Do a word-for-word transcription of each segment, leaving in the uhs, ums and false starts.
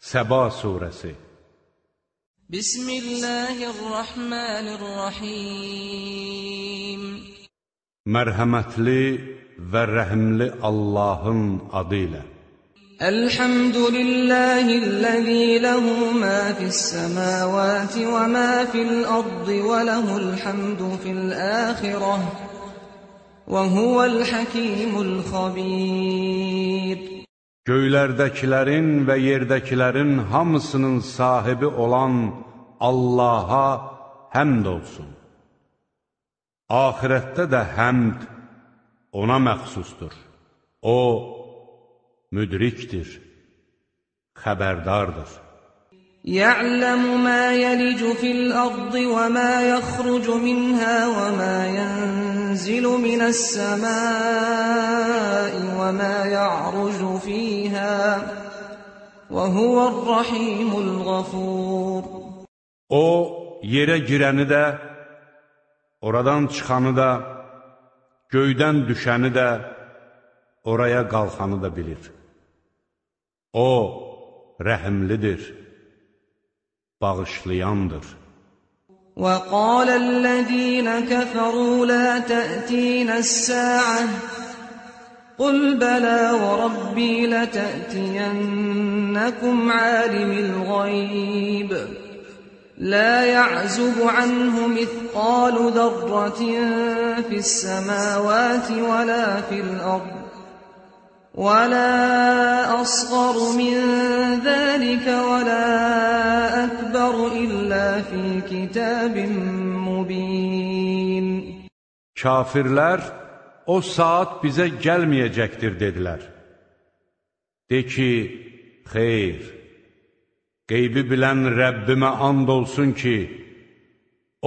Səba surəsi. Bismillahirrahmanirrahim. Mərhəmətli və rəhimli Allahın adı ilə. Elhamdülillahillazi lehu ma fis-semavati və ma fil-ardı və lehul hamdu fil-axirah və huvel-hakimul-xabir. Göylərdəkilərin və yerdəkilərin hamısının sahibi olan Allaha həmd olsun. Ahirətdə də həmd ona məxsusdur. O, müdrikdir, xəbərdardır. Ya'lamu ma yelicu fil-ardı və ma yaxrucu minha və ma yenzilu minas-semai və ma ya'rucu fiha və huvər-rahimul-ğafur. O, yerə girəni də, oradan çıxanı da, göydən düşəni də, oraya qalxanı da bilir. O, rəhimlidir, bağışlayandır. وَقَالَ الَّذِينَ كَفَرُوا لَا تَأْتِينَا السَّاعَةُ قُلْ بَلَى وَرَبِّي لَتَأْتِيَنَّكُمْ عَالِمِ الْغَيْبِ لَا يَعْزُبُ عَنْهُ مِثْقَالُ ذَرَّةٍ فِي السَّمَاوَاتِ وَلَا فِي الْأَرْضِ وَلَا أَصْغَرُ مِنْ ذَلِكَ وَلَا أَكْبَرُ إِلَّا فِي كِتَابٍ مُبِينٍ. Kafirlər, o saat bizə gəlməyəcəkdir, dedilər. De ki, xeyr, qeybi bilən Rəbbimə and olsun ki, O,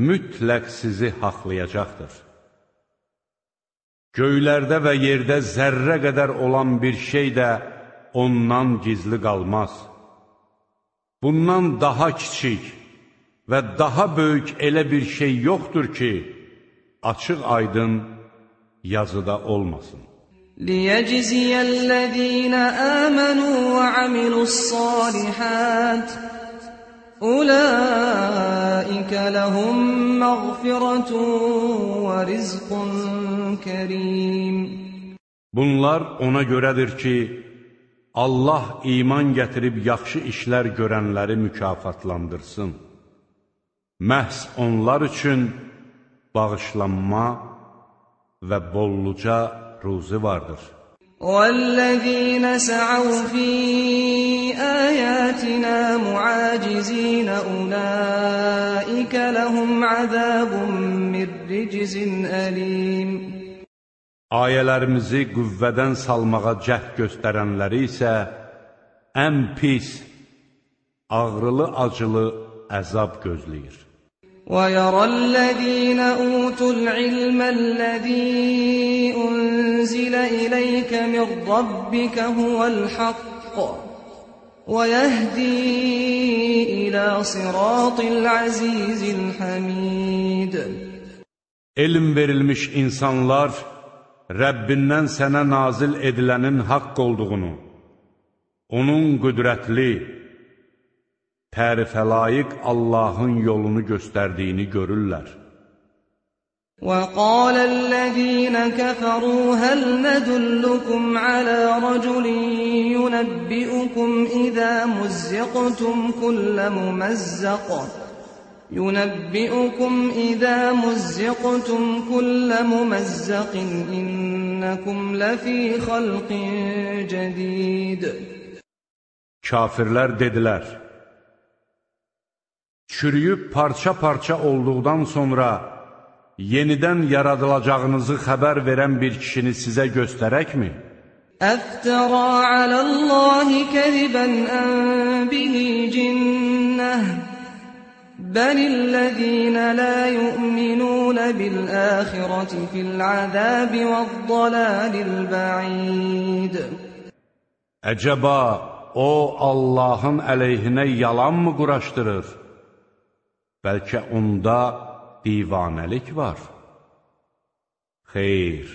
mütləq sizi haqlayacaqdır. Göylərdə və yerdə zərrə qədər olan bir şey də ondan gizli qalmaz. Bundan daha kiçik və daha böyük elə bir şey yoxdur ki, açıq aydın yazıda olmasın. لِيَجْزِيَ الَّذِينَ آمَنُوا وَعَمِلُوا الصَّالِحَاتِ أُولَٰئِكَ لَهُم مَّغْفِرَةٌ وَرِزْقٌ كَرِيمٌ. Bunlar ona görədir ki, Allah iman gətirib yaxşı işlər görənləri mükafatlandırsın. Məhz onlar üçün bağışlanma və bolluca ruzi vardır. وَالَّذِينَ سَعَوْا فِي آيَاتِنَا مُعَاجِزِينَ أُولَٰئِكَ لَهُمْ عَذَابٌ مِّن رِّجْزٍ أَلِيمٌ. Ayələrimizi qüvvədən salmağa cəhd göstərənləri isə ən pis, ağrılı-acılı əzab gözləyir. وَيَرَى الَّذِينَ أُوتُوا الْعِلْمَ الَّذِي أُنزِلَ إِلَيْكَ مِن رَّبِّكَ هُوَ الْحَقُّ وَيَهْدِي إِلَى صِرَاطِ الْعَزِيزِ الْحَمِيدِ. Elm verilmiş insanlar, Rəbbindən sənə nazil edilənin haqq olduğunu, onun qüdrətli, tərifə layiq Allahın yolunu göstərdiyini görürlər. وَقَالَ الَّذِينَ كَفَرُوا هَلْ نَدُلُّكُمْ عَلَى رَجُلٍ يُنَبِّئُكُمْ إِذَا مُزِّقْتُمْ كُلَّ مُمَزَّقٍ يُنَبِّئُكُمْ إِذَا مُزِّقْتُمْ كُلَّ مُمَزَّقٍ إِنَّكُمْ لَفِي خَلْقٍ جَدِيدٍ. Kafirlər dedilər, çürüyüb parça-parça olduqdan sonra yenidən yaradılacağınızı xəbər verən bir kişini sizə göstərəkmi? أَفْتَرَىٰ عَلَى اللَّهِ كَذِبًا أَم بِهِ جِنَّةٌ بَلِ الَّذِينَ لَا يُؤْمِنُونَ بِالْآخِرَةِ فِي الْعَذَابِ وَالضَّلَالِ الْبَعِيدِ. Əcəba, o Allahın əleyhinə yalan mı quraşdırır? Bəlkə onda divanəlik var. Xeyr,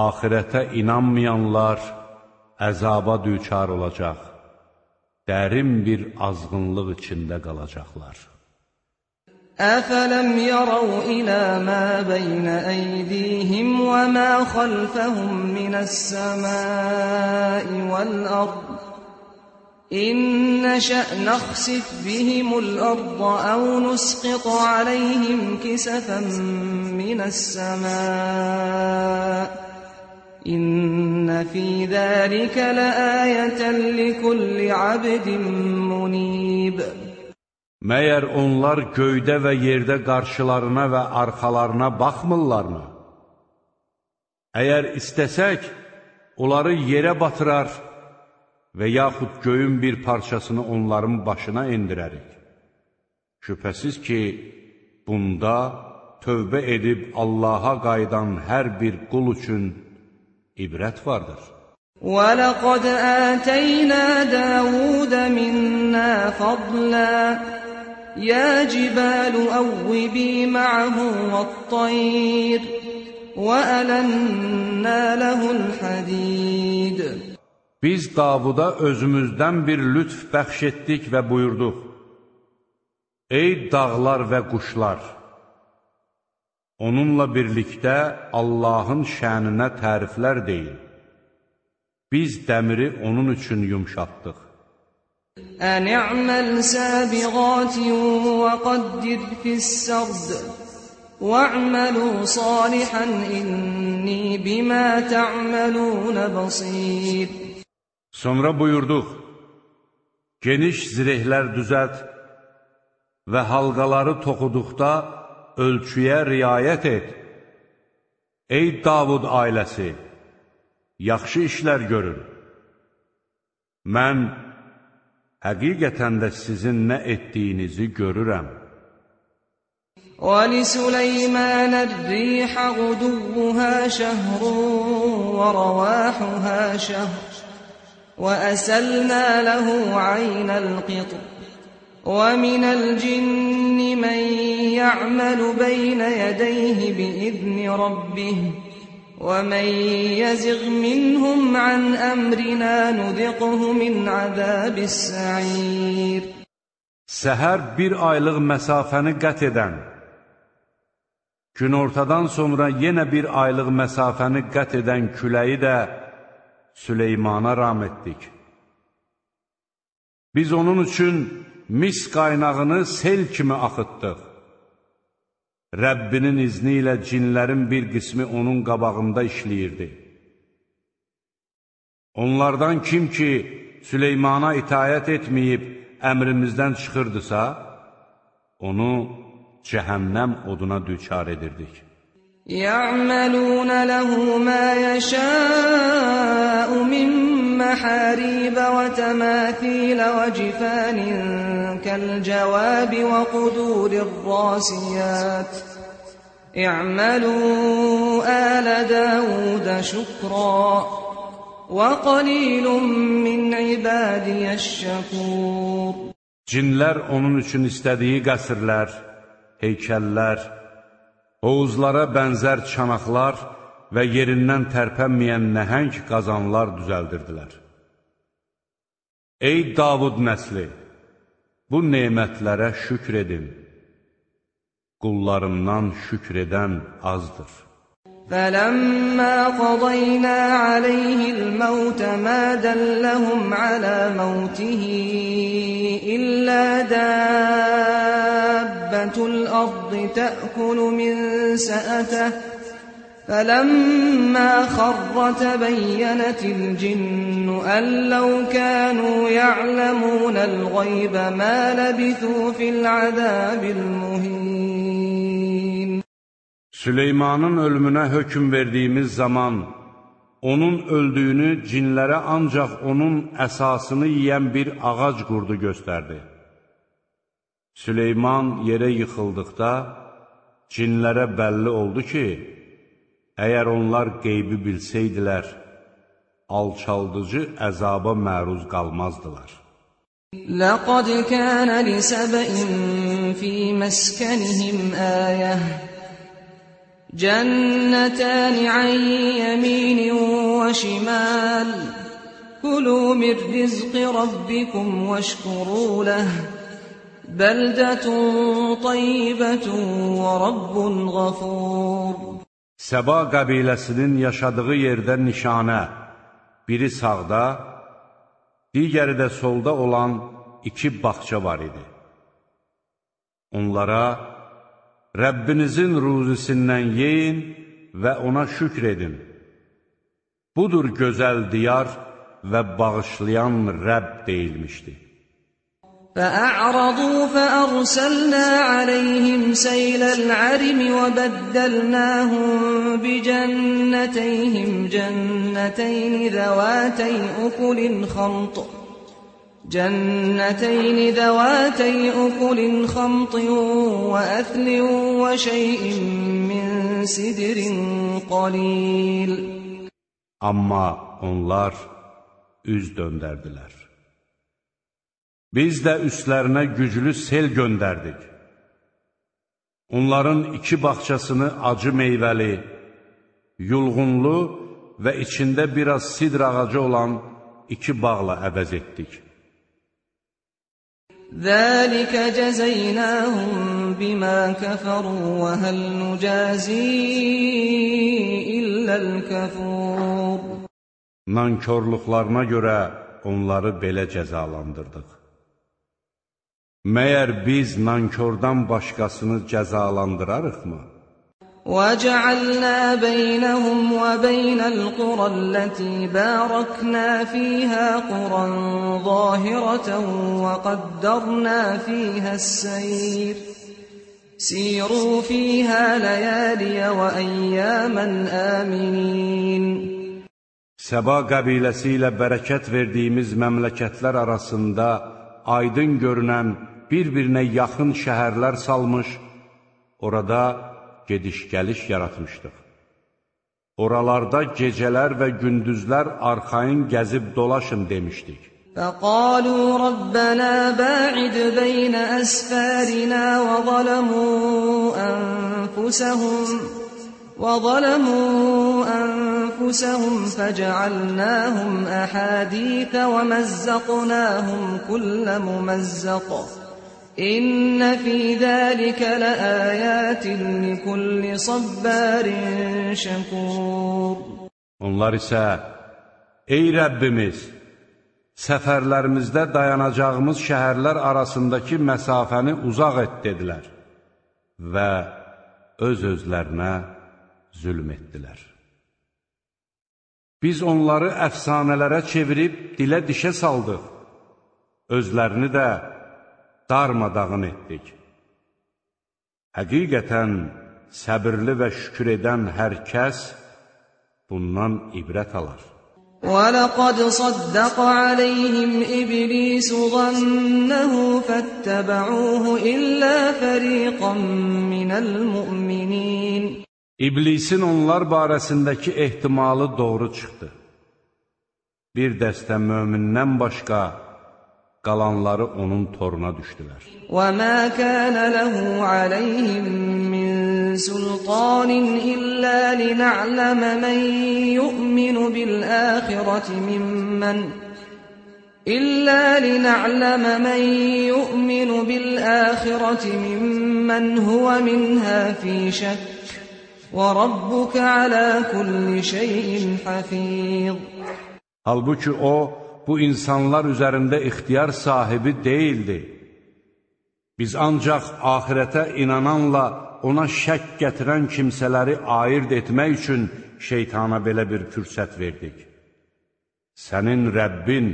axirətə inanmayanlar əzaba düçar olacaq. dərin bir azğınlıq içində qalacaqlar. أَفَلَمْ يَرَوْا إِلَى مَا بَيْنَ أَيْدِيهِمْ وَمَا خَلْفَهُمْ مِنَ السَّمَاءِ وَالْأَرْضِ إِن نَّشَأْ نَخْسِفْ بِهِمُ الْأَرْضَ أَوْ نُسْقِطْ عَلَيْهِمْ كِسَفًا مِّنَ السَّمَاءِ إِنَّ فِي ذَلِكَ لَآيَةً لِكُلِّ عَبْدٍ مُنِيبٍ Məyər onlar göydə və yerdə qarşılarına və arxalarına baxmırlarmı? Əgər istəsək, onları yerə batırar və yaxud göyün bir parçasını onların başına endirərik. Şübhəsiz ki, bunda tövbə edib Allaha qayıdan hər bir qul üçün ibrət vardır. وَلَقَدْ آتَيْنَا دَاوُودَ مِنَّا فَضْلًا يَا جِبَالُ أَوِّبِي مَعَهُ وَالطَّيْرَ وَأَلَنَّا لَهُ الْحَدِيدَ Biz Davuda özümüzdən bir lütf bəxş etdik və buyurduq: Ey dağlar və quşlar! Onunla birlikdə Allahın şəninə təriflər deyin. Biz dəmiri onun üçün yumşatdıq. أَنِ اعْمَلْ سَابِغَاتٍ وَقَدِّرْ فِي السَّرْدِ وَاعْمَلُوا صَالِحًا إِنِّي بِمَا تَعْمَلُونَ بَصِيرٌ Sonra buyurduq: Geniş zirehlər düzət və halqaları toxuduqda ölçüyə riayət et. Ey Davud ailəsi, yaxşı işlər görün. Mən həqiqətən də sizin nə etdiyinizi görürəm. وَلِسُلَيْمَانَ الرِّيحَ غُدُوُّهَا شَهْرٌ وَرَوَاحُهَا شَهْرٌ وَأَسَلْنَا لَهُ عَيْنَ الْقِطْرِ وَمِنَ الْجِنِّ مَن يَعْمَلُ بَيْنَ يَدَيْهِ بِإِذْنِ رَبِّهِ وَمَن يَزِغْ مِنْهُمْ عَنْ أَمْرِنَا نُذِقْهُ مِنْ عَذَابِ السَّعِيرِ Səhər bir aylıq məsafəni qət edən, günortadan sonra yenə bir aylıq məsafəni qət edən küləyi də Süleymana ram etdik. Biz onun üçün mis qaynağını sel kimi axıtdıq. Rəbbinin izni ilə cinlərin bir qismi onun qabağında işləyirdi. Onlardan kim ki Süleymana itayət etməyib əmrimizdən çıxırdısa, onu cəhənnəm oduna düçar edirdik. يَعْمَلُونَ لَهُ مَا يَشَاءُ مِن مَّحَارِيبَ وَتَمَاثِيلَ وَجِفَانٍ كَالْجَوَابِ وَقُدُورٍ الرَّاسِيَاتِ اعْمَلُوا آلَ دَاوُودَ شُكْرًا وَقَلِيلٌ مِّنْ عِبَادِيَ الشَّكُورِ Cinlər onun üçün istədiyi qəsrlər, heykəllər, hovuzlara bənzər çanaqlar və yerindən tərpənməyən nəhəng qazanlar düzəldirdilər. Ey Davud nəsli! Bu nemətlərə şükr edin. Qullarımdan şükr edən azdır. فَلَمَّا قَضَيْنَا عَلَيْهِ الْمَوْتَ مَا دَلَّهُمْ عَلَى مَوْتِهِ إِلَّا دَابَّةُ الْأَرْضِ تَأْكُلُ مِنْ سَأَتَهُ فَلَمَّا خَرَّ تَبَيَّنَتِ الْجِنُّ أَن لَّوْ كَانُوا يَعْلَمُونَ الْغَيْبَ مَا لَبِثُوا فِي الْعَذَابِ الْمُهِينِ Süleymanın ölümünə hökm verdiyimiz zaman onun öldüyünü cinlərə ancaq onun əsasını yiyən bir ağac qurdu göstərdi. Süleyman yerə yıxıldıqda cinlərə bəlli oldu ki, əgər onlar qeybi bilsəydilər, alçaldıcı əzaba məruz qalmazdılar. لَقَدْ كَانَ لِسَبَإٍ فِي مَسْكَنِهِمْ آيَةٌ جَنَّتَانِ عَن يَمِينٍ وَشِمَالٍ كُلُوا مِنْ رِزْقِ رَبِّكُمْ وَاشْكُرُوا لَهُ بَلْدَةٌ طَيِّبَةٌ وَرَبٌّ غَفُورٌ. Səba qəbiləsinin yaşadığı yerdə nişanə, biri sağda, digəri də solda olan iki bağça var idi. Onlara, Rəbbinizin ruzisindən yeyin və ona şükr edin. Budur gözəl diyar və bağışlayan Rəbb deyilmişdi. فَأَعْرَضُوا فَأَرْسَلْنَا عَلَيْهِمْ سَيْلَ الْعَرِمِ وَبَدَّلْنَاهُمْ بِجَنَّتَيْهِمْ جَنَّتَيْنِ ذَوَاتَيْ أُكُلٍ خَمْطٍ جَنَّتَيْنِ ذَوَاتَيْ أُكُلٍ خَمْطٍ وَأَثْلٍ وَشَيْءٍ مِّن سِدْرٍ قَلِيلٍ. Amma onlar üz döndərdilər. Biz də üstlərinə güclü sel göndərdik. Onların iki bağçasını acı meyvəli, yulğunlu və içində biraz sidr ağacı olan iki bağla əvəz etdik. ذَٰلِكَ جَزَيْنَاهُمْ بِمَا كَفَرُوا وَهَلْ نُجَازِي إِلَّا الْكَفُورَ. Nankörlüklarına görə onları belə cəzalandırdıq. Məyər biz nankördən başqasını cəzalandırarıqmı? وَجَعَلْنَا بَيْنَهُمْ وَبَيْنَ الْقُرَى الَّتِي بَارَكْنَا فِيهَا قُرًى ظَاهِرَةً وَقَدَّرْنَا فِيهَا السَّيْرَ سِيرُوا فِيهَا لَيَالِيَ وَأَيَّامًا آمِنِينَ. Səba qəbiləsi ilə bərəkət verdiyimiz məmləkətlər arasında aydın görünən bir-birinə yaxın şəhərlər salmış, orada gediş-gəliş yaratmışdıq. Oralarda gecələr və gündüzlər arxayın gəzib dolaşın demişdik. فَقَالُوا رَبَّنَا بَاعِدْ بَيْنَ أَسْفَارِنَا وَظَلَمُوا أَنفُسَهُمْ وَظَلَمُوا أَنفُسَهُمْ فَجَعَلْنَاهُمْ أَحَادِيثَ وَمَزَّقْنَاهُمْ كُلَّ مُمَزَّقٍ إِنَّ فِي ذَلِكَ لَآيَاتٍ لِكُلِّ صَبَّارٍ شَكُورٍ. Onlar isə, ey Rəbbimiz, səfərlərimizdə dayanacağımız şəhərlər arasındakı məsafəni uzaq et dedilər və öz-özlərinə zülm etdilər. Biz onları əfsanələrə çevirib dilə dişə saldıq, özlərini də darmadağın etdik. Həqiqətən səbirli və şükür edən hər kəs bundan ibrət alar. وَلَقَدْ صَدَّقَ عَلَيْهِمْ إِبْلِيسُ ظَنَّهُ فَاتَّبَعُوهُ إِلَّا فَرِيقًا مِّنَ الْمُؤْمِنِينَ. İblisin onlar barəsindəki ehtimalı doğru çıxdı. Bir dəstə mömindən başqa qalanları onun toruna düşdülər. وَمَا كَانَ لَهُ عَلَيْهِمْ مِنْ سُلْطَانٍ إِلَّا لِنَعْلَمَ مَنْ يُؤْمِنُ بِالْآخِرَةِ مِمَّنْ إِلَّا لِنَعْلَمَ مَنْ يُؤْمِنُ بِالْآخِرَةِ مِمَّنْ هُوَ مِنْهَا فِي شَكٍّ وَرَبُّكَ عَلَى كُلِّ شَيْءٍ حَفِيظٌ. Halbuki o, bu insanlar üzərində ixtiyar sahibi deyildi. Biz ancaq axirətə inananla ona şək gətirən kimsələri ayırt etmək üçün şeytana belə bir fürsət verdik. Sənin Rəbbin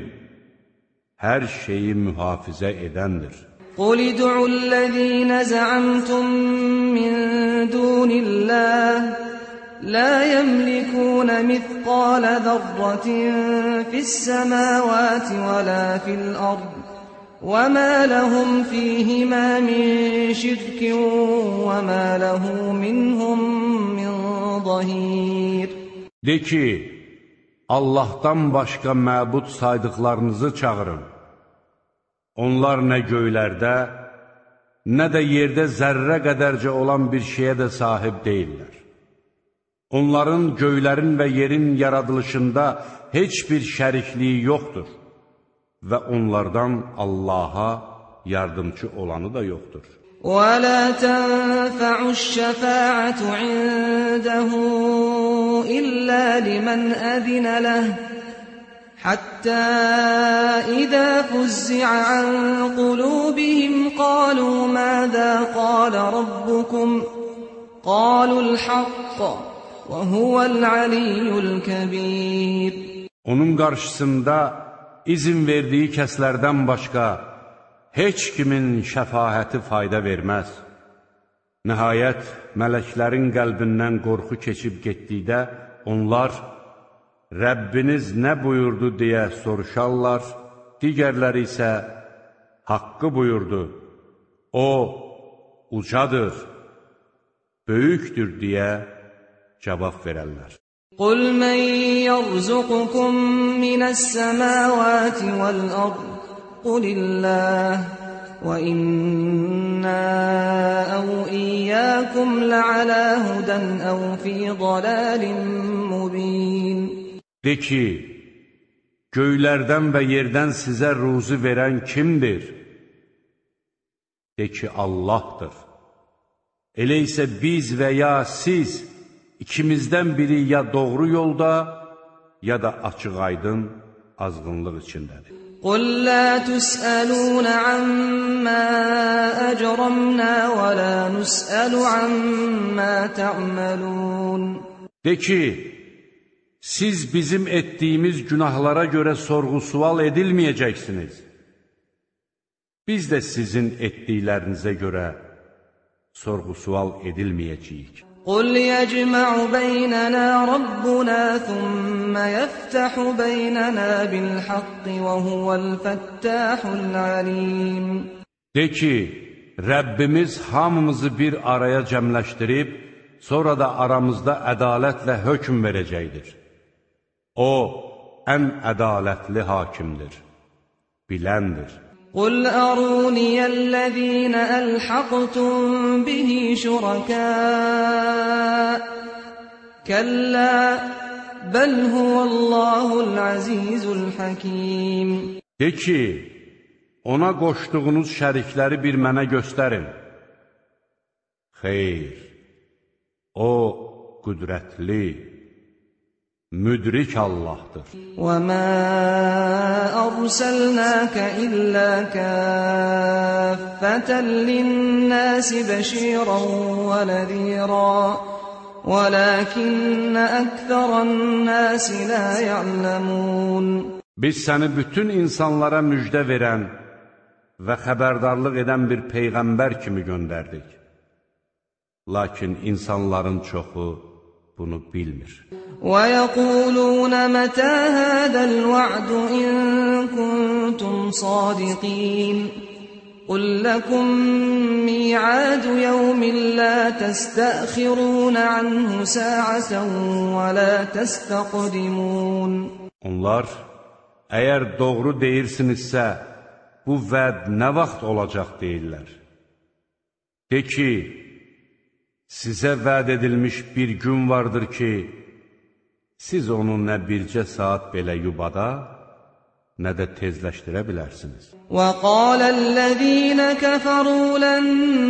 hər şeyi mühafizə edəndir. قُلِ ادْعُوا الَّذِينَ زَعَمْتُم مِّن دُونِ اللَّهِ لَا يَمْلِكُونَ مِثْقَالَ ذَرَّةٍ فِي السَّمَاوَاتِ وَلَا فِي الْأَرْضِ وَمَا لَهُمْ فِيهِمَا مِن شِرْكٍ وَمَا لَهُ مِنْهُم مِّن ظَهِيرٍ. De ki, Allahdan başqa məbud saydıqlarınızı çağırın. Onlar nə göylərdə, nə də yerdə zərrə qədərcə olan bir şeyə də sahib deyirlər. Onların göylərin və yerin yaradılışında heç bir şərikliyi yoxdur və onlardan Allaha yardımcı olanı da yoxdur. وَلَا تَنْفَعُ الشَّفَاعَةُ عِنْدَهُ إِلَّا لِمَنْ أَذِنَ لَهُ حَتَّى إِذَا فُزِّعَ عَنْ قُلُوبِهِمْ قَالُوا مَاذَا قَالَ رَبُّكُمْ قَالُوا الْحَقَّ وَهُوَ الْعَلِيُّ الْكَبِيرُ. Onun qarşısında izin verdiyi kəslərdən başqa heç kimin şəfaəti fayda verməz. Nəhayət, mələklərin qəlbindən qorxu keçib getdikdə, onlar, Rəbbiniz nə buyurdu deyə soruşarlar, digərləri isə, haqqı buyurdu, o, ucadır, böyükdür deyə cavab verərlər. قُلْ مَنْ يَرْزُقُكُمْ مِنَ السَّمَاوَاتِ وَالْأَرْضِ قُلِ اللَّهُ وَإِنَّا أَوْ إِيَّاكُمْ لَعَلَى هُدًى أَوْ فِي ضَلَالٍ مُّبِينٍ. De ki, göylərdən və yerdən sizə ruzu verən kimdir? De ki, Allahdır. Elə isə biz və ya siz, ikimizdən biri ya doğru yolda, ya da açıq-aydın azğınlıq içindədir. قُلْ لَا تُسْأَلُونَ عَمَّا أَجْرَمْنَا وَلَا نُسْأَلُ عَمَّا تَعْمَلُونَ. De ki, siz bizim etdiyimiz günahlara görə sorğu-sual edilməyəcəksiniz. Biz də sizin etdiklərinizə görə sorğu-sual edilməyəcəyik. قُلْ يَجْمَعُ بَيْنَنَا رَبُّنَا ثُمَّ يَفْتَحُ بَيْنَنَا بِالْحَقِّ وَهُوَ الْفَتَّاحُ الْعَلِيمُ. De ki, Rəbbimiz hamımızı bir araya cəmləşdirib, sonra da aramızda ədalətlə hökm verəcəkdir. O, ən ədalətli hakimdir, biləndir. قُلْ أَرُونِيَ الَّذِينَ أَلْحَقْتُمْ بِهِ شُرَكَاءَ كَلَّا بَلْ هُوَ اللَّهُ الْعَزِيزُ الْحَكِيمُ. De ki, ona qoşduğunuz şərikləri bir mənə göstərin. Xeyr, o qüdrətli, müdrik Allahdır. وَمَا أَرْسَلْنَاكَ إِلَّا كَافَّةً لِلنَّاسِ بَشِيرًا وَنَذِيرًا وَلَكِنَّ أَكْثَرَ النَّاسِ لَا يَعْلَمُونَ. Biz səni bütün insanlara müjdə verən və xəbərdarlıq edən bir peyğəmbər kimi göndərdik. Lakin insanların çoxu bunu bilmir. وَيَقُولُونَ مَتَى هَذَا الْوَعْدُ إِن كُنتُمْ صَادِقِينَ قُلْ لَكُمْ مِيعَادُ يَوْمٍ لَا تَسْتَأْخِرُونَ عَنْهُ سَاعَةً وَلَا تَسْتَقْدِمُونَ. Onlar, əgər doğru deyirsinizsə, bu vəd nə vaxt olacaq deyirlər. De ki, sizə vəd edilmiş bir gün vardır ki, siz onu nə bircə saat belə yubada, nə də tezləşdirə bilərsiniz. وَقَالَ الَّذِينَ كَفَرُوا لَن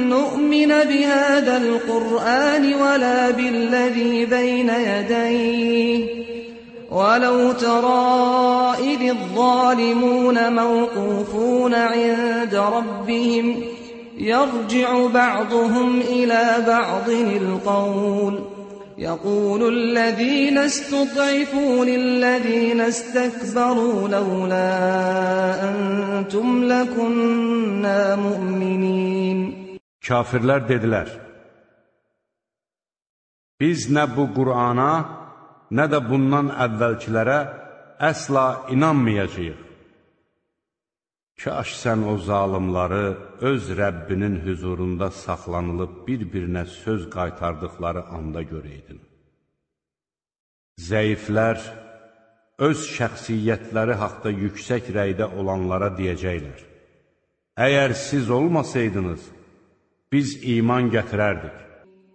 نُّؤْمِنَ بِهَذَا الْقُرْآنِ وَلَا بِالَّذِي بَيْنَ يَدَيْهِ وَلَوْ تَرَىٰ إِذِ الظَّالِمُونَ مَوْقُوفُونَ عِندَ رَبِّهِمْ يَرْجِعُ بَعْضُهُمْ إِلَى بَعْضٍ الْقَوْلَ يَقُولُ الَّذِينَ اسْتُضْعِفُوا لِلَّذِينَ اسْتَكْبَرُوا لَوْلَا أَنْتُمْ لَكُنَّا مُؤْمِنِينَ. Kafirlər dedilər, biz nə bu Qur'ana, nə də bundan əvvəlkilərə əsla inanmayacağıq. Kaş sən o zalimları öz Rəbbinin hüzurunda saxlanılıb bir-birinə söz qaytardıqları anda görəydin. Zəiflər öz şəxsiyyətləri haqda yüksək rəydə olanlara deyəcəklər, əgər siz olmasaydınız, biz iman gətirərdik.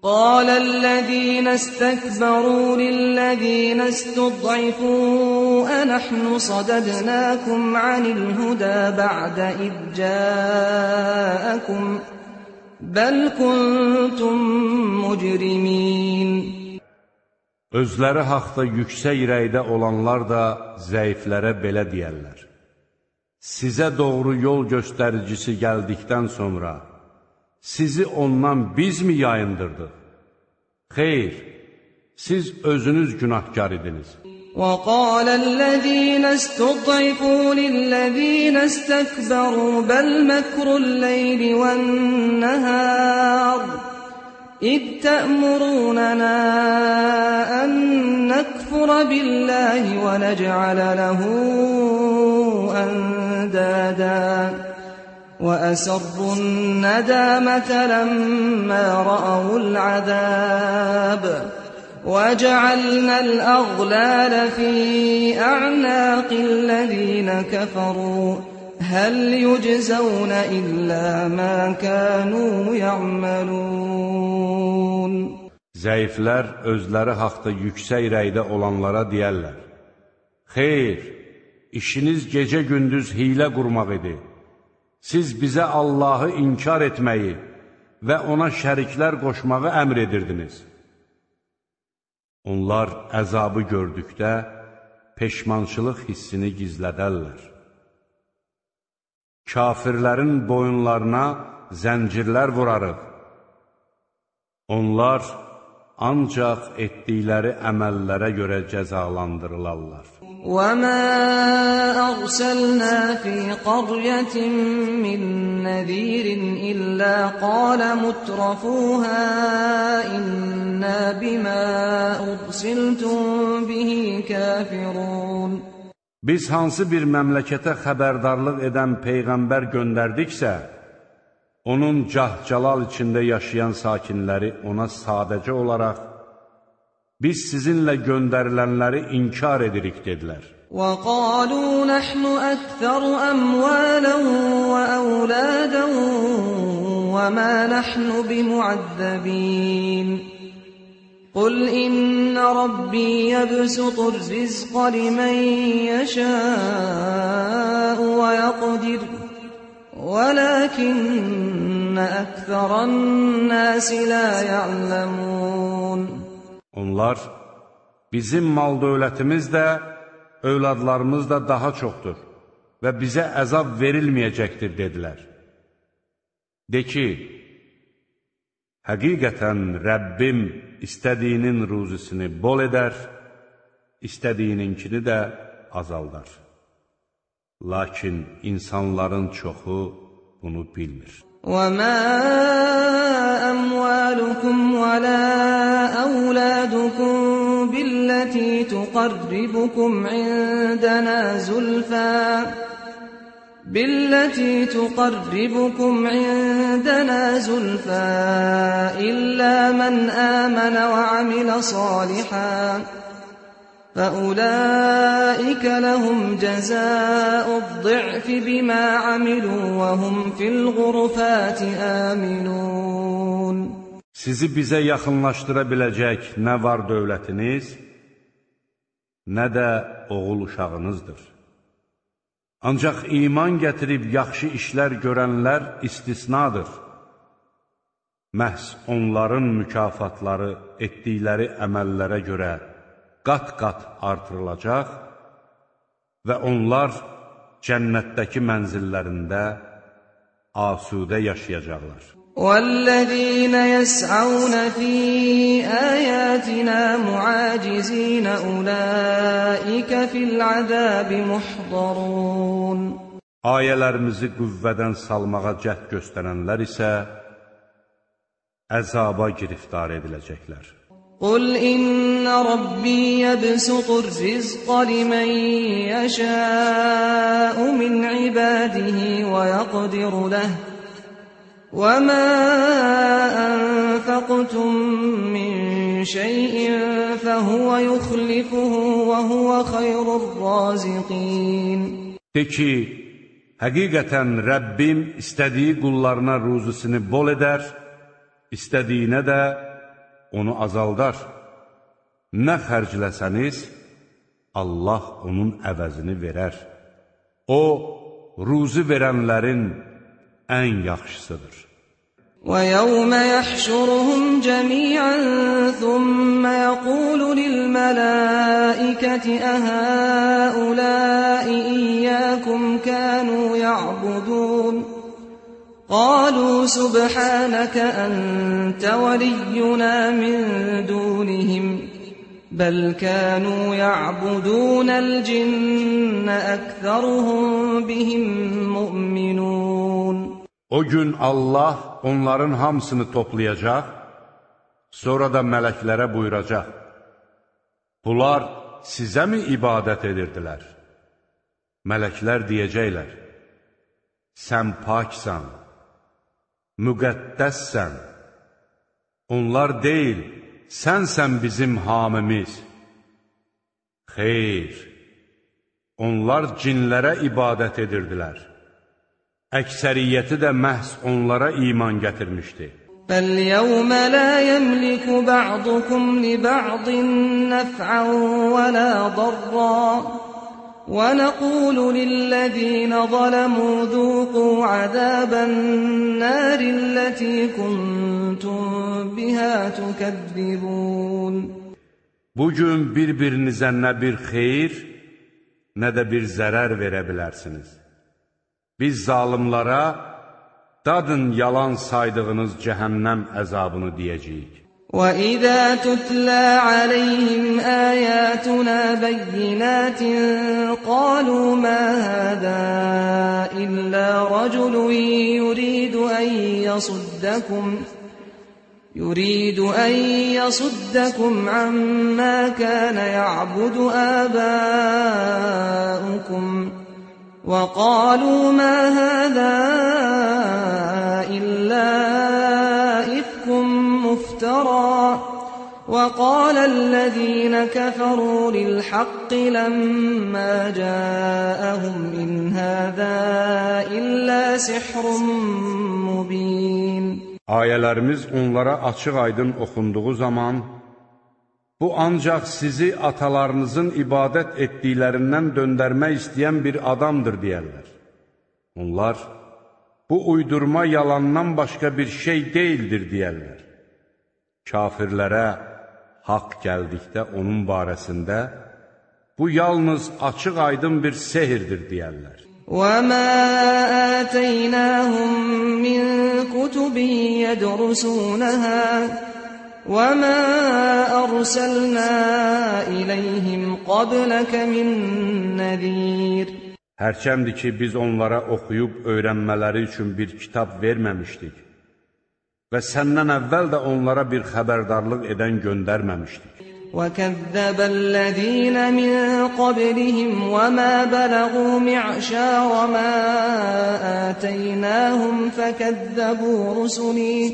قال الذين استكبروا للذين استضعفوا أنحن صددناكم عن الهدى بعد إذ جاءكم بل كنتم مجرمين. Özləri haqda yüksək rəydə olanlar da zəiflərə belə deyərlər: Sizə doğru yol göstəricisi gəldikdən sonra sizi ondan biz mi yayındırdıq? Xeyr, siz özünüz günahkar idiniz. وَقَالَ الَّذِينَ اسْتُضْعِفُوا لِلَّذِينَ اسْتَكْبَرُوا بَلْ مَكْرُ اللَّيْلِ وَالنَّهَارِ إِذْ تَأْمُرُونَنَا أَن نَّكْفُرَ بِاللَّهِ وَنَجْعَلَ لَهُ أَندَادًا وَأَسَرُّوا النَّدَامَةَ لَمَّا رَأَوُا الْعَذَابَ وَجَعَلْنَا الْأَغْلَالَ فِي أَعْنَاقِ الَّذِينَ كَفَرُوا هَلْ يُجْزَوْنَ إِلَّا مَا كَانُوا يَعْمَلُونَ. Zəiflər özləri haqda yüksək rəydə olanlara deyərlər: Xeyr, işiniz gecə-gündüz hiylə qurmaq idi. Siz bizə Allahı inkar etməyi və ona şəriklər qoşmağı əmr edirdiniz. Onlar əzabı gördükdə peşmançılıq hissini gizlədərlər. Kafirlərin boyunlarına zəncirlər vurarıq. Onlar ancaq etdikləri əməllərə görə cəzalandırılarlar. وَمَا أَرْسَلْنَا فِي قَرْيَةٍ مِّن نَّذِيرٍ إِلَّا قَالَ مُتْرَفُوهَا إِنَّا بِمَا أُرْسِلْتُم بِهِ كَافِرُونَ. Biz hansı bir məmləkətə xəbərdarlıq edən peyğəmbər göndərdiksə, onun cah-calal içində yaşayan sakinləri ona sadəcə olaraq biz sizinlə göndərilənləri inkar edirik dedilər. وَقَالُوا نَحْنُ أَكْثَرُ أَمْوَالًا وَأَوْلَادًا وَمَا نَحْنُ بِمُعَذَّبِينَ قُلْ إِنَّ رَبِّي يَبْسُطُ الرِّزْقَ لِمَن يَشَاءُ وَيَقْدِرُ وَلَكِنَّ أَكْثَرَ النَّاسِ لَا يَعْلَمُونَ. Onlar, bizim mal dövlətimiz də, övladlarımız da daha çoxdur və bizə əzab verilməyəcəkdir, dedilər. De ki, həqiqətən Rəbbim istədiyinin ruzisini bol edər, istədiyininkini də azaldar. Lakin insanların çoxu bunu bilmir. وَمَا أَمْوَالُكُمْ وَلَا أَوْلَادُكُمْ بِالَّتِي تُقَرِّبُكُمْ عِندَنَا زُلْفَى بِالَّتِي تُقَرِّبُكُمْ عِندَنَا زُلْفَى إِلَّا مَنْ آمَنَ وَعَمِلَ صَالِحًا فَأُولَٰئِكَ لَهُمْ جَزَاءُ الضِّعْفِ بِمَا عَمِلُوا وَهُمْ فِي الْغُرُفَاتِ آمِنُونَ. Sizi bizə yaxınlaşdıra biləcək nə var dövlətiniz, nə də oğul uşağınızdır. Ancaq iman gətirib yaxşı işlər görənlər istisnadır. Məhz onların mükafatları etdikləri əməllərə görə qat-qat artırılacaq və onlar cənnətdəki mənzillərində asudə yaşayacaqlar. وَالَّذِينَ يَسْعَوْنَ فِي آيَاتِنَا مُعَاجِزِينَ أُولَٰئِكَ فِي الْعَذَابِ مُحْضَرُونَ. Ayələrimizi qüvvədən salmağa cəhd göstərənlər isə əzaba giriftar ediləcəklər. قُلْ إِنَّ رَبِّي يَبْسُطُ الرِّزْقَ لِمَن يَشَاءُ مِنْ عِبَادِهِ وَيَقْدِرُ لَهُ وَمَا أَنفَقْتُم مِّن شَيْءٍ فَهُوَ يُخْلِفُهُ وَهُوَ خَيْرُ الرَّازِقِينَ. De ki, həqiqətən Rəbbim istədiyi qullarına ruzusunu bol edər, istədiyinə də onu azaldar. Nə xərcləsəniz, Allah onun əvəzini verər. O, ruzi verənlərin ən yaxşısıdır. وَيَوْمَ يَحْشُرُهُمْ جَمِيعًا ثُمَّ يَقُولُ لِلْمَلَائِكَةِ أَهَؤُلَاءِ إِيَّاكُمْ كَانُوا يَعْبُدُونَ قَالُوا سُبْحَانَكَ أَنْتَ وَلِيُّنَا مِنْ دُونِهِمْ بَلْ كَانُوا يَعْبُدُونَ الْجِنَّ أَكْثَرُهُمْ بِهِمْ مُؤْمِنُونَ O gün Allah onların hamısını toplayacaq, sonra da mələklərə buyuracaq. Bunlar sizə mi ibadət edirdilər? Mələklər deyəcəklər, sən paksan, müqəddəssən. Onlar deyil, sənsən bizim hamimiz. Xeyr, onlar cinlərə ibadət edirdilər. Əksəriyyəti də məhz onlara iman gətirmişdi. فَالْيَوْمَ لَا يَمْلِكُ بَعْضُكُمْ لِبَعْضٍ نَفْعًا وَلَا ضَرًّا وَنَقُولُ لِلَّذِينَ ظَلَمُوا ذُوقُوا عَذَابَ النَّارِ الَّتِي كُنْتُمْ بِهَا تُكَذِّبُونَ Bugün bir-birinizə nə bir xeyir, nə də bir zərər verə bilərsiniz. Biz zalimlara, dadın yalan saydığınız cəhənnəm əzabını deyəcəyik. وَإِذَا تُتْلَى عَلَيْهِمْ آيَاتُنَا بَيِّنَاتٍ قَالُوا مَا هَذَا إِلَّا رَجُلٌ يُرِيدُ أَن يَصُدَّكُمْ يُرِيدُ أَن يَصُدَّكُمْ عَمَّا كَانَ يَعْبُدُ آبَاؤُكُمْ وَقَالُوا مَا هَذَا إِلَّا إِفْكٌ مُفْتَرًى وَقَالَ الَّذِينَ كَفَرُوا لِلْحَقِّ لَمَّا جَاءَهُمْ إِنْ هَذَا إِلَّا سِحْرٌ مُبِينٌ Ayələrimiz onlara açıq-aydın oxunduğu zaman, bu ancaq sizi atalarınızın ibadət etdiklərindən döndərmək istəyən bir adamdır deyərlər. Onlar, bu uydurma yalandan başqa bir şey deyildir deyərlər. Kafirlərə haqq gəldikdə onun barəsində, bu yalnız açıq-aydın bir sehirdir deyərlər. وَمَا آتَيْنَاهُمْ مِنْ كُتُبٍ يَدْرُسُونَهَا وَمَا أَرْسَلْنَا إِلَيْهِمْ قَبْلَكَ مِنْ نَذِيرٍ Hərçəmdir ki, biz onlara oxuyub öyrənmələri üçün bir kitab verməmişdik və səndən əvvəl də onlara bir xəbərdarlıq edən göndərməmişdik. وَكَذَّبَ الَّذِينَ مِنْ قَبْلِهِمْ وَمَا بَلَغُوا مِعْشَارَ مَا آتَيْنَاهُمْ فَكَذَّبُوا رُسُلِي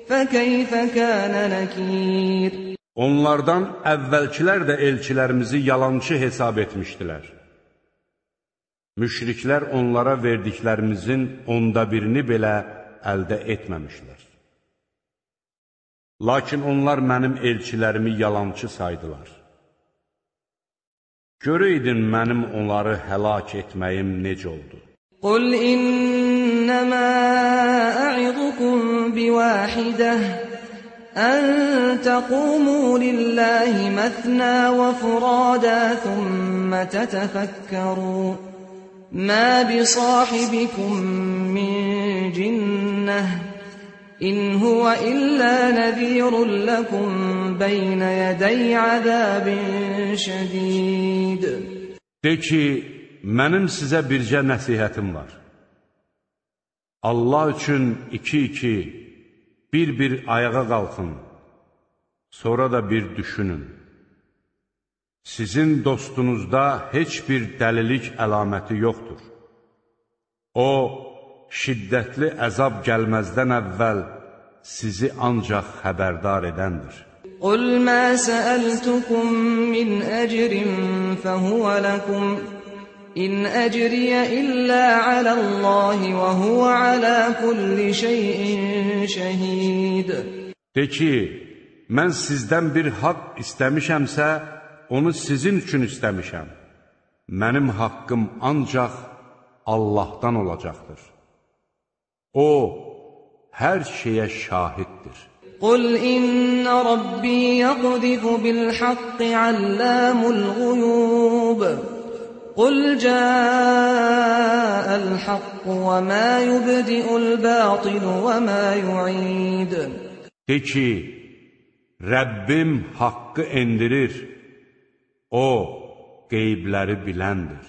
فَكَيْفَ كَانَ نَكِيرٌ Onlardan əvvəlkilər də elçilərimizi yalançı hesab etmişdilər. Müşriklər onlara verdiklərimizin onda birini belə əldə etməmişlər. Lakin onlar mənim elçilərimi yalançı saydılar. Görəydin mənim onları həlak etməyim necə oldu? قُلْ إِنَّمَا أَعِظُكُمْ بِوَاحِدَةٍ أَن تَقُومُوا لِلَّهِ مَثْنَى وَفُرَادَى ثُمَّ تَتَفَكَّرُوا مَا بِصَاحِبِكُم مِّن جِنَّةٍ إِنْ هُوَ إِلَّا نَذِيرٌ لَكُمْ بَيْنَ يَدَيْ عَذَابٍ شَدِيدٍ De ki, mənim sizə bircə nəsihətim var. Allah üçün iki-iki, bir-bir ayağa qalxın, sonra da bir düşünün. Sizin dostunuzda heç bir dəlilik əlaməti yoxdur. O, şiddətli əzab gəlməzdən əvvəl sizi ancaq xəbərdar edəndir. قُلْ مَا سَأَلْتُكُمْ مِنْ أَجْرٍ فَهُوَ لَكُمْ إِنْ أَجْرِيَ إِلَّا عَلَى اللَّهِ وَهُوَ عَلَى كُلِّ شَيْءٍ شَهِيدٌ De ki, mən sizdən bir haqq istəmişəmsə, onu sizin üçün istəmişəm. Mənim haqqım ancaq Allahdan olacaqdır. O, hər şeyə şahiddir. قُلْ إِنَّ رَبِّي يَقْذِفُ بِالْحَقِّ عَلَّامُ الْغُيُوبِ قُلْ جَاءَ الْحَقُّ وَمَا يُبْدِئُ الْبَاطِلُ وَمَا يُعِيدُ De ki, Rəbbim haqqı endirir, O, qeybləri biləndir.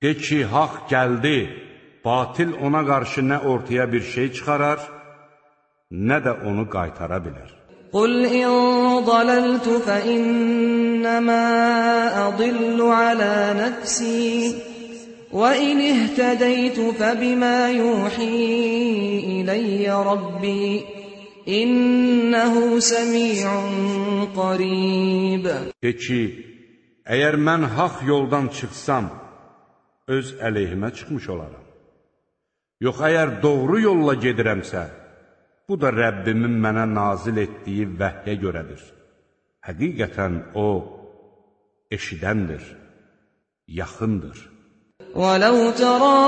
De ki, haqq gəldi, batil ona qarşı nə ortaya bir şey çıxarar, nə də onu qaytara bilər. قُلْ إِنْ ضَلَلْتُ فَإِنَّمَا أَضِلُّ عَلَى نَفْسِي وَإِنِ اهْتَدَيْتُ فَبِمَا يُوحِي إِلَيَّ رَبِّي إِنَّهُ سَمِيعٌ قَرِيبٌ De ki, əgər mən haqq yoldan çıxsam, öz əleyhimə çıxmış olaram. Yox, əgər doğru yolla gedirəmsə, bu da Rəbbimin mənə nazil etdiyi vəhyə görədir. Həqiqətən O, eşidəndir, yaxındır. وَلَوْ تَرَى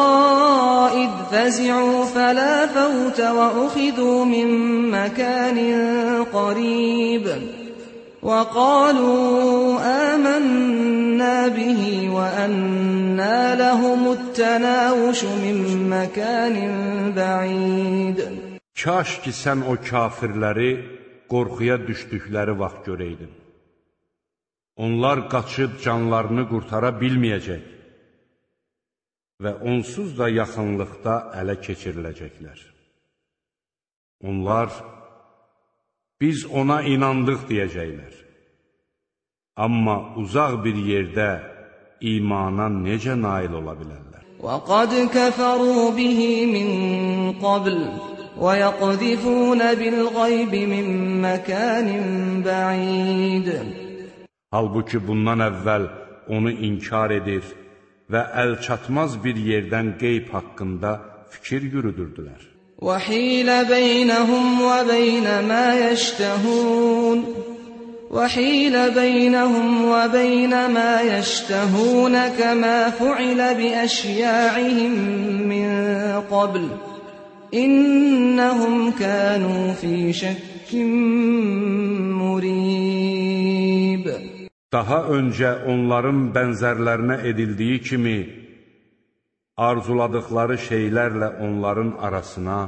إِذْ فَزِعُوا فَلَا فَوْتَ وَأُخِذُوا مِنْ مَكَانٍ قَرِيبٍ وَقَالُوا آمَنَّا بِهِ وَأَنَّى لَهُمُ التَّنَاوُشُ مِنْ مَكَانٍ بَعِيدٍ Kaş ki, sən o kafirləri qorxuya düşdükləri vaxt görəydin. Onlar qaçıb canlarını qurtara bilməyəcək və onsuz da yaxınlıqda ələ keçiriləcəklər. Onlar, biz ona inandıq deyəcəklər. Amma uzaq bir yerdə imana necə nail ola bilərlər? وَقَدْ كَفَرُوا بِهِ مِنْ قَبْلِ وَيَقْذِفُونَ بِالْغَيْبِ مِنْ مَكَانٍ بَعِيدٍ Halbuki bundan əvvəl onu inkar edir və əl çatmaz bir yerdən qeyb haqqında fikir yürüdürdülər. وَحِيلَ بَيْنَهُمْ وَبَيْنَ مَا يَشْتَهُونَ وَحِيلَ بَيْنَهُمْ وَبَيْنَ مَا يَشْتَهُونَ كَمَا فُعِلَ بِأَشْيَاعِهِمْ مِنْ قَبْلِ إِنَّهُمْ كَانُوا فِي شَكٍّ مُرِيبٍ Daha öncə onların bənzərlərinə edildiyi kimi, arzuladıkları şeylərlə onların arasına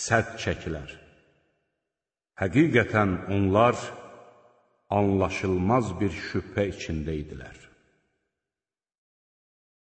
sədd çəkilər. Həqiqətən onlar anlaşılmaz bir şübhə içində idilər.